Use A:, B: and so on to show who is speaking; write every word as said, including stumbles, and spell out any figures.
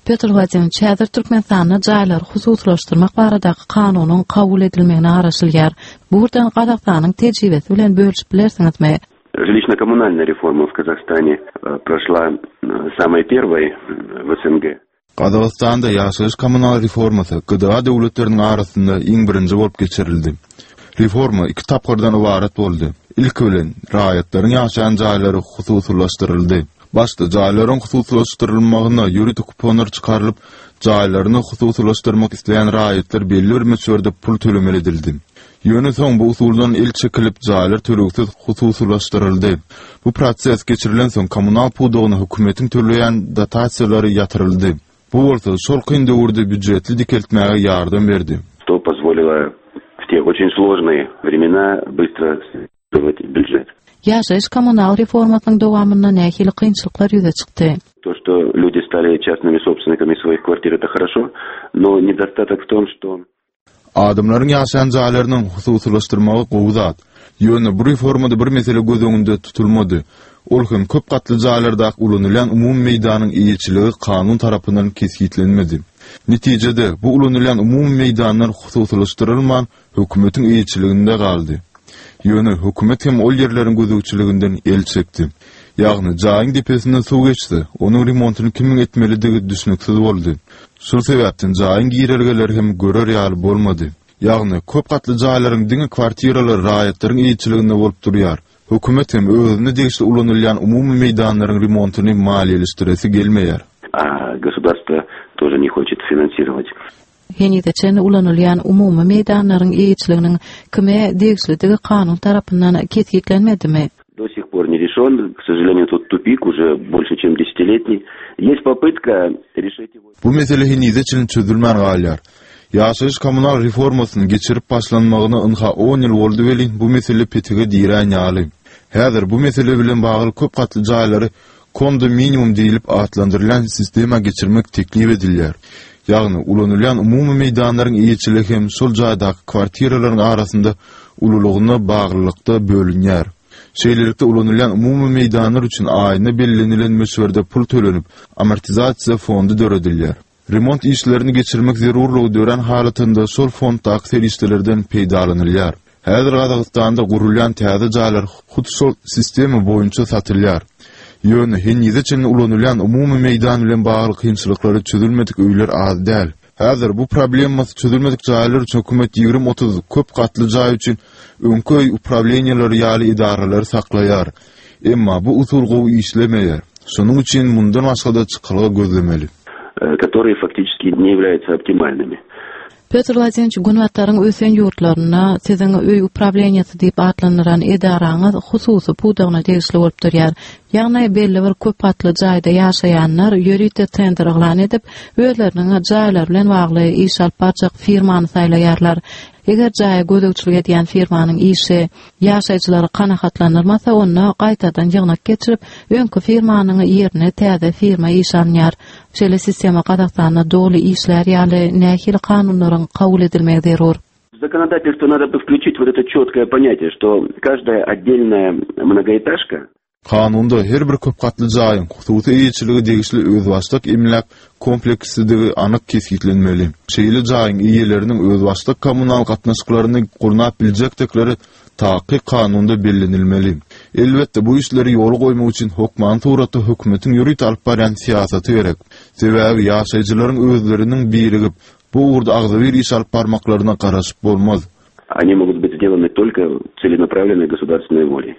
A: Petr Wladimirowiç, häzir Türkmenistanda jaýlary hususylaşdyrmak baradaky kanunyň kabul edilmegine garaşylýar. Bu ugurdan Gazagystanyň tejribesi bilen bölüşip bilersiňizmi?
B: Жилищно-коммунальная реформа в Казахстане э, прошла э, самой первой в СНГ.
C: Gazagystanda ýaşaýyş kommunal reformasy G D A döwletleriniň arasynda iň birinji bolup geçirildi. Reforma iki tapgyrdan ybarat boldy. Ilki bilen raýatlaryň ýaşaýan jaýlary hususylaşdyryldy. Başda jaýlaryň hususylaşdyrylmagyna ýörite kuponlar çykarylyp, jaýlaryny hususylaşdyrmak isleýän raýatlar belli bir möçberde pul tölemeli edildi. Ýöne soň bu usuldan el çekilip, jaýlar tölegsiz hususylaşdyryldy. Bu proses geçirilen soň kommunal pudagyna hökümetiň töleýän dotasiýalary ýatyryldy. Bu bolsa şol kyn döwürde býujeti dikeltmäge ýardam berdi.
B: Что позволило в те очень сложные времена быстро строить бюджет.
A: Ýaşaýyş kommunal reformasynyň dowamynda nähili kynçylyklar ýüze çykdy?
B: То, что люди стали частными собственниками своих квартир, это хорошо, но недостаток в том, что
C: Adamlaryň ýaşaýan jaýlarynyň hususylaşdyrmagy gowy zat. Ýöne bu reformada bir mesele göz öňünde tutulmady. Ol hem köp gatly jaýlarda ulanylýan umumy meýdanyň eýeçiligi kanun tarapyndan kesgitlenmedi. Netijede bu ulanylýan umumy meýdanlar hususylaşdyrylman hökümetiň eýeçiliginde galdy. Ýöne hökümet hem ol ýerleriň gözegçiliginden el çekdi. Ýagny jaýyň depesinden suw geçdi, onuň remontyny kimiň etmelidigi düşnüksiz boldy. Şol sebäpden jaýyň girelgeleri hem görer ýaly bolmady. Ýagny köp gatly jaýlaryň diňe kwartiralary raýatlaryň eýeçiliginde bolup durýar. Hökümet hem özüne degişli ulanylýan umumy meýdanlaryň remontyny maliýeleşdiresi gelmeýär.
B: А государство тоже не хочет финансировать.
A: Henize çenli ulanylýan umumy meýdanlaryň eýeçiliginiň kime degişlidigi kanun tarapyndan kesgitlenmedimi?
B: До сих пор не решен. К сожалению, тут тупик уже больше, чем десятилетний. Есть попытка решить его.
C: Bu mesele henize çenli çözülmän galýar. Ýaşaýyş kommunal reformasyny geçirip başlanmagyna ynha on ýyl boldy welin bu mesele petige dirän ýaly. Häzir bu mesele bilen bagly köp gatly jaýlary kondominium diýilip atlandyrylýan sistema geçirmek teklip edilýär. Ýagny ulanylýan umumy meýdanlaryň eýeçiligi hem şol jaýdaky kwartiralaryň arasynda ululygyna baglylykda bölünýär. Şeýlelikde ulanylýan umumy meýdanlar üçin aýyna bellenilen möçberde pul tölenip, amortizasiýa fondy döredilýär. Remont işlerini geçirmek zerurlygy dörän halatynda şol fonddaky serişdelerden peýdalanylýar. Häzir Gazagystanda gurulýan täze jaýlar hut şol sistema boýunça satylýar. Ýöne henize çenli ulanylýan umumy meýdan bilen bagly kynçylyklary çözülmedik öýler az däl. Häzir bu problemasy çözülmedik jaýlar üçin hökümet ýigrimi otuz köp gatly jaý üçin öňki öý uprawleniýalary ýaly edaralary saklaýar. Emma bu usul gowy işlemeýär. Şonuň üçin mundan başga-da çykalga gözlemeli.
B: Э, которые фактически не являются оптимальными.
A: Petr Wladimirowiç, Günbataryň ösen ýurtlarynda siziň öý uprawleniýasy diýip atlandyran edaraňyz hususy pudagyna degişli bolup durýar. Ýagny belli bir köp gatly jaýda ýaşaýanlar ýörite tender yglan edip, özleriniň jaýlary bilen bagly iş alyp barjak firmany saýlaýarlar. Eger jaýa gözegçilik edýän firmanyň işi ýaşaýjylary kanagatlandyrmasa, onda gaýtadan ýygnak geçirip, öňki firmanyň ýerine täze firma iş alynýar. Şeýle sistema Gazagystanda doly işlär ýaly nähili kanunlaryň kabul edilmegi zerur?
B: В законодательство надо бы включить вот это четкое понятие, что каждая отдельная многоэтажка
C: Kanunda her bir köp gatly jaýyň hususy eýeçiligi degişli özbaşdak emläk kompleksidigini anyk kesgitlenmeli. Şeýle jaýyň eýeleriniň özbaşdak kommunal gatnaşyklaryny gurnap biljekdikleri takyk kanunda bellenilmeli. Elbetde bu işleri ýola goýmak üçin hökman suratda hökümetiň ýörite alyp barýan syýasaty gerek. Sebäbi ýaşaýjylaryň özleriniň birigip bu ugurda agzybir iş alyp barmaklaryna garaşyp bolmaz.
B: Они могут быть сделаны только целенаправленной государственной волей.